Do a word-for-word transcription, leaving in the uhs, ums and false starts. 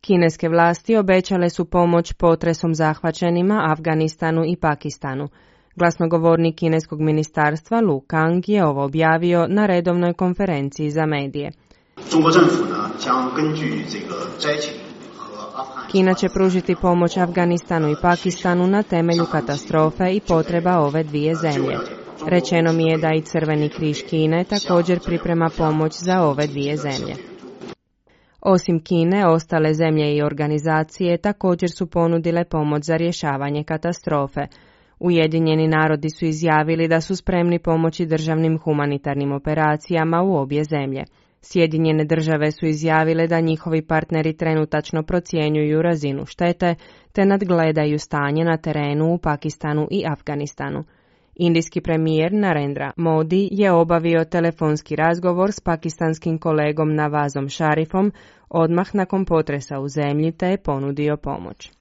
Kineske vlasti obećale su pomoć potresom zahvaćenima Afganistanu i Pakistanu. Glasnogovornik kineskog ministarstva Lu Kang je ovo objavio na redovnoj konferenciji za medije. Kina će pružiti pomoć Afganistanu i Pakistanu na temelju katastrofe i potreba ove dvije zemlje. Rečeno mi je da i Crveni križ Kine također priprema pomoć za ove dvije zemlje. Osim Kine, ostale zemlje i organizacije također su ponudile pomoć za rješavanje katastrofe. Ujedinjeni narodi su izjavili da su spremni pomoći državnim humanitarnim operacijama u obje zemlje. Sjedinjene države su izjavile da njihovi partneri trenutačno procjenjuju razinu štete te nadgledaju stanje na terenu u Pakistanu i Afganistanu. Indijski premijer Narendra Modi je obavio telefonski razgovor s pakistanskim kolegom Nawazom Sharifom odmah nakon potresa u zemlji te je ponudio pomoć.